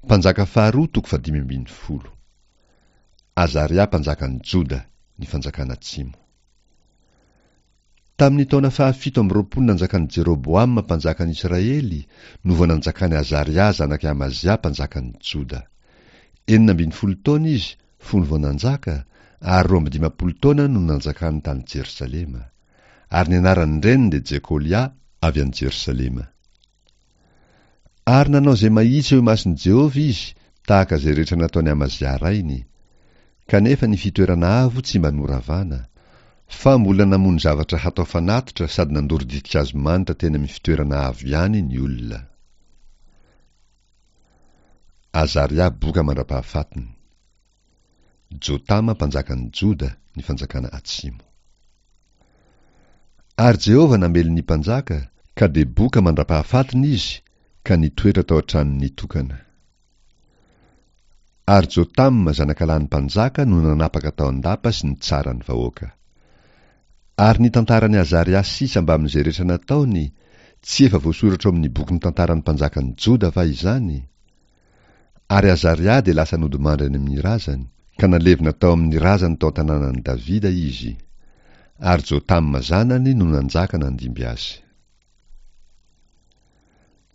Mpanjaka faharoa toko fahadimy ambin'ny folo. Azaria mpanjakan'i Joda, ny fanjakana atsimo. Tamin'ny taona fahafito amby roapolo nanjakan'i Jeroboama mpanjakan'i Israely no vao nanjakan'i Azaria zanak'i Amazia mpanjakan'i Joda. 16 taona izy fony vao nanjaka, ary 52 taona no nanjakany tany Jerosalema. Ary ny anaran-dreniny dia Jekolia avy any Jerosalema. Ary nanao izay mahitsy eo imason'i Jehovah izy, tahaka izay rehetra nataon'i Amazia rainy. Kanefa ny fitoerana avo tsy mba noravana, fa mbola namono zavatra hatao fanatitra sady nandoro ditin-kazo manitra teny amin'ny fitoerana avo ihany ny olona. Azaria boka mandra-pahafatiny. Jotama mpanjakan'i Joda, ny fanjakana atsimo. Ary Jehovah namely ny mpanjaka, ka dia boka mandra-pahafatiny izy, ka nitoetra tao an-tranony nitokana. Ary Jotama zanakalahin'ny mpanjaka no nanapaka tao an-dapa sy nitsara ny vahoaka. Ary ny tantaran'i Azaria sisa mbamin'izay rehetra nataony, tsy efa voasoratra ao amin'ny bokin'ny tantaran'ny mpanjakan'i Joda va izany? Ary Azaria dia lasa nodimandry any amin'ny razany, ka nalevina tao amin'ny razany tao an-tanànan'i Davida izy. Ary Jotama zanany no nanjaka nandimby azy.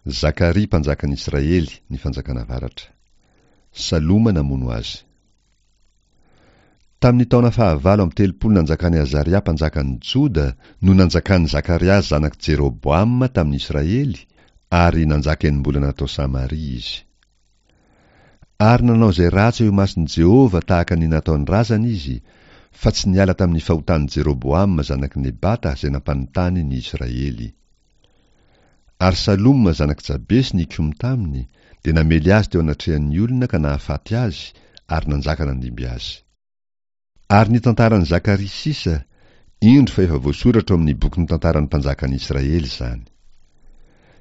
Zakaria mpanjakan'i Israely, ny fanjakana avaratra. Saloma namono azy. Tamin'ny taona fahavalo amby telopolo nanjakan'i Azaria mpanjakan'i Joda no nanjakan'i Zakaria zanak'i Jeroboama tamin'i Israely, ary nanjaka enim-bolana tao Samaria izy. Ary nanao izay ratsy eo imason'i Jehovah tahaka ny nataon'ny razany izy, fa tsy niala tamin'ny fahotan'i Jeroboama zanak'i Nebata izay nampanontany ny Israely. Ary Saloma zanak'i Jabesy nikomy taminy, dia namely azy teo anatrehan'ny olona ka nahafaty azy, ary nanjaka nandimby azy. Ary ny tantaran'i Zakaria sisa, indro fa efa voasoratra ao amin'ny bokin'ny tantaran'ny mpanjakan'i Israely izany.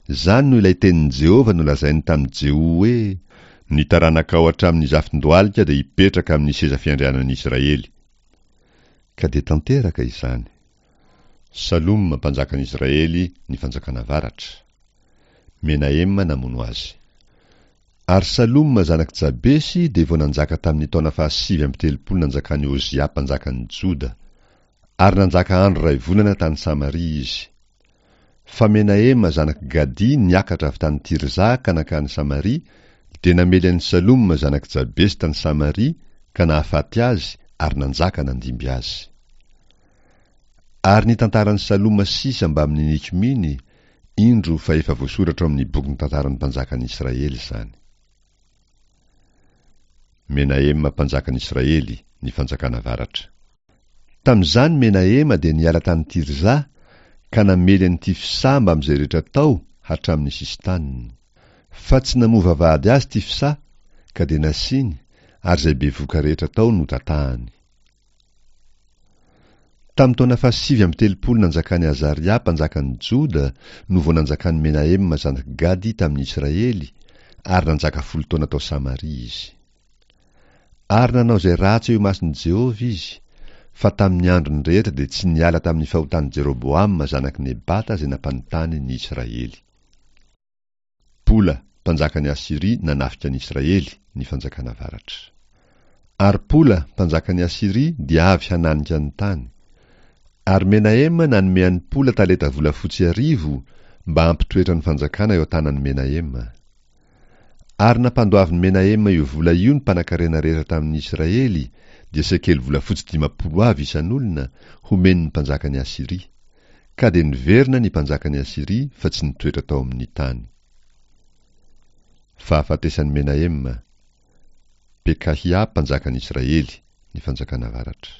Izany no ilay tenin'i Jehovah nolazainy tamin'i Jeho hoe, Ny taranakao hatramin'ny zafin-dohalika dia hipetraka amin'ny seza fiandrianan'i Israely. Ka dia tanteraka izany. Saloma, mpanjakan'i Israely, ny fanjakana avaratra. Menahema namono azy. Ary Saloma zanak'i Jabesy dia vao nanjaka tamin'ny taona fahasivy amby telopolo nanjakan'i Ozia mpanjakan'i Joda, ary nanjaka andro iray volana tany Samaria izy. Fa Menahema zanak'i Gady niakatra avy tany Tirza ka nankany Samaria, dia namely an'i Saloma zanak'i Jabesy tany Samaria ka nahafaty azy ary nanjaka nandimby azy. Ary ny tantaran'i Saloma sisa mbamin'ny nikomiany, indro fa efa voasoratra ao amin'ny bokin'ny tantaran'ny mpanjakan'i Israely izany. Menahema mpanjakan'i Israely, ny fanjakana avaratra. Tamin'izany Menahema dia niala tany Tirza ka namely an'i Tifsa mbamin'izay rehetra tao hatramin'ny sisin-taniny. Fa tsy namoa vavahady azy Tifsa, ka dia nasiany, ary izay bevoka rehetra tao notatahany. Tamin'ny taona fahasivy amby telopolo nanjakan'i Azaria mpanjakan'i Joda no vao nanjakan'i Menahema zanak'i Gady tamin'i Israely, ary nanjaka folo taona tao Samaria izy. Ary nanao izay ratsy eo imason'i Jehovah izy, fa tamin'ny androny rehetra dia tsy niala tamin'ny fahotan'i Jeroboama zanak'i Nebata izay nampanontany ny Israely. Pola, mpanjakan'i Asyria nanafika an'i Israely, ny fanjakana avaratra. Ary Pola, mpanjakan'i Asyria, dia avy hananika ny tany. Ary Menahema nanome an'i Pola talenta volafotsy arivo mba hampitoetra ny fanjakana eo an-tanan'i Menahema. Ary nampandoavin'i Menahema io vola io ny mpanankarena rehetra tamin'ny Israely, dia sekely volafotsy 50 avy isan'olona, homen'ny mpanjakan'i Asyria. Ka dia niverina ny mpanjakan'i Asyria fa tsy nitoetra tao amin'ny tany. Fahafatesan'i Menahema, Pekahia mpanjakan'i Israely, ny fanjakana avaratra.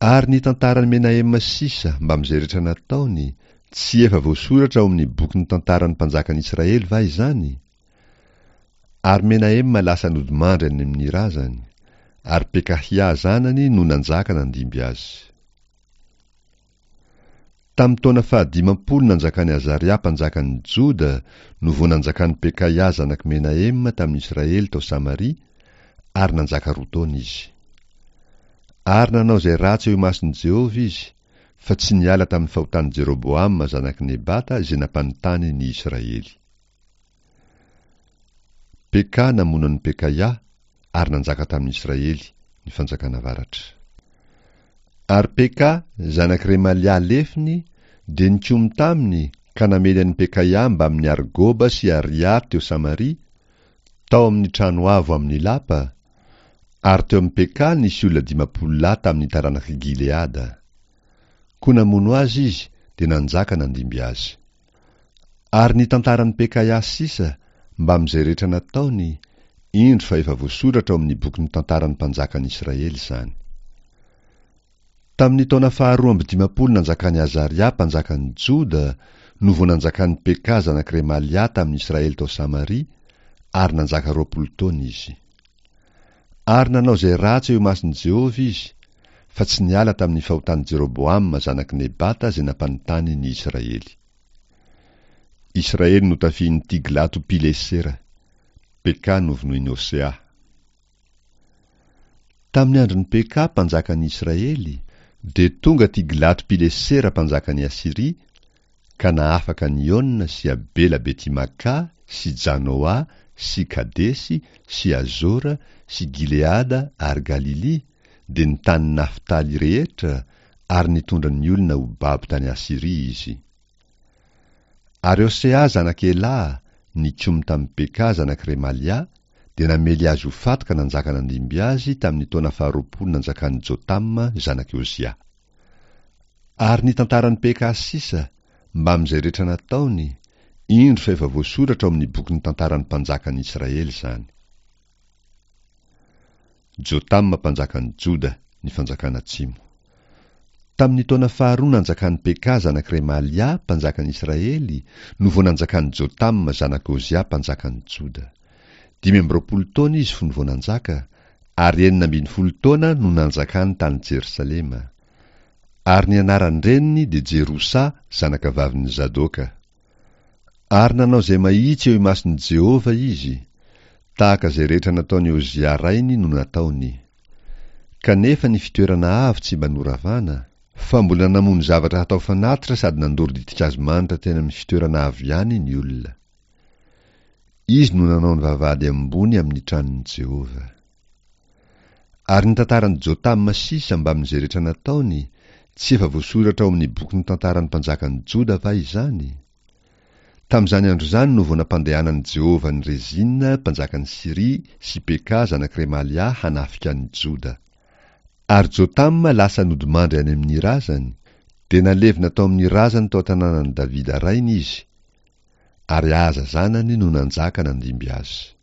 Ary ny tantaran'i Menahema sisa mbamin'izay rehetra nataony, tsy efa voasoratra ao amin'ny bokin'ny tantaran'ny mpanjakan'i Israely va izany? Ary Menahema lasa nodimandry any amin'ny razany, ary Pekahia zanany no nanjaka nandimby azy. Tamin'ny taona fahadimampolo nanjakan'i Azaria mpanjakan'i Joda no vao nanjakan'i Pekaia zanak'i Menahema tamin'i Israely tao Samaria, ary nanjaka roa taona izy. Ary nanao izay ratsy eo imason'i Jehovah izy, fa tsy niala tamin'ny fahotan'i Jeroboama zanak'i Nebata izay nampanontany ny Israely. Peka namono an'i Pekaia ary nanjaka tamin'i Israely, ny fanjakana avaratra. Ary Peka, zanak'i Remalia lefiny, dia nikomy taminy ka namely an'i Pekaia mbamin'i Argoba sy Aria teo Samaria, tao amin'ny trano avo amin'ny lapa, ary teo amin'i Peka nisy olona 50 lahy tamin'ny taranak'i Gileada. Koa namono azy izy, dia nanjaka nandimby azy. Ary ny tantaran'i Pekaia sisa, mbamin'izay rehetra nataony, indro fa efa voasoratra ao amin'ny bokin'ny tantaran'ny mpanjakan'i Israely izany. Tamin'ny taona faharoa amby dimampolo nanjakan'i Azaria mpanjakan'i Joda no vao nanjakan'i Peka zanak'i Remalia tamin'i Israely tao Samaria, ary nanjaka 20 taona izy. Ary nanao izay ratsy eo imason'i Jehovah izy, fa tsy niala tamin'ny fahotan'i Jeroboama zanak'i Nebata izay nampanontany ny Israely. Israely notafihin'i Tiglato-pilesera. Peka novonoin'i Hosea. Tamin'ny andron'i Peka mpanjakan'ny Israely, dia tonga Tiglato-pilesera mpanjakan'i Asyria, ka nahafaka an'i Iona sy Abela Beti-Makà sy Janoà sy Kadesy sy Azora sy Gileada ary Galilia, dia ny tanin'i Naftaly rehetra, ary nitondra ny olona ho babo tany Asyria izy. Ary Hosea zanak'i Elaha, nikomy tamin'i Peka zanak'i Remalia, dia namely azy ho faty ka nanjaka nandimby azy tamin'ny taona faharoapolo nanjakan'i Jotama zanak'i Ozia. Ary ny tantaran'i Peka sisa, mbamin'izay rehetra nataony, indro fa efa voasoratra ao amin'ny bokin'ny tantaran'ny mpanjakan'i Israely izany. Jotama mpanjakan'i Joda, ny fanjakana atsimo. Tamin'ny taona faharoa nanjakan'i Peka zanak'i Remalia mpanjakan'i Israely no vao nanjakan'i Jotama zanak'i Ozia mpanjakan'i Joda. 25 taona izy fony vao nanjaka, ary 16 taona no nanjakany tany Jerosalema. Ary ny anaran-dreniny dia Jerosa zanakavavin'i Zadoka. Ary nanao izay mahitsy eo imason'i Jehovah izy, tahaka izay rehetra nataon'i Ozia rainy no nataony. Kanefa ny fitoerana avo tsy mba noravana, fa mbola namono zavatra hatao fanatitra sady nandoro ditin-kazo manitra teny amin'ny fitoerana avo ihany ny olona. Izy no nanao ny vavahady ambony amin'ny tranon'i Jehovah. Ary ny tantaran'i Jotama sisa mbamin'izay rehetra nataony, tsy efa voasoratra ao amin'ny bokin'ny tantaran'ny mpanjakan'i Joda va izany? Tamin'izany andro izany no vao nampandehanan'i Jehovah an'i Rezina mpanjakan'i Syria sy Peka zanak'i Remalia hanafika an'i Joda. Ary Jotama lasa nodimandry any amin'ny razany, dia nalevina tao amin'ny razany tao an-tanànan'i Davida rainy izy, ary Ahaza zanany no nanjaka nandimby azy.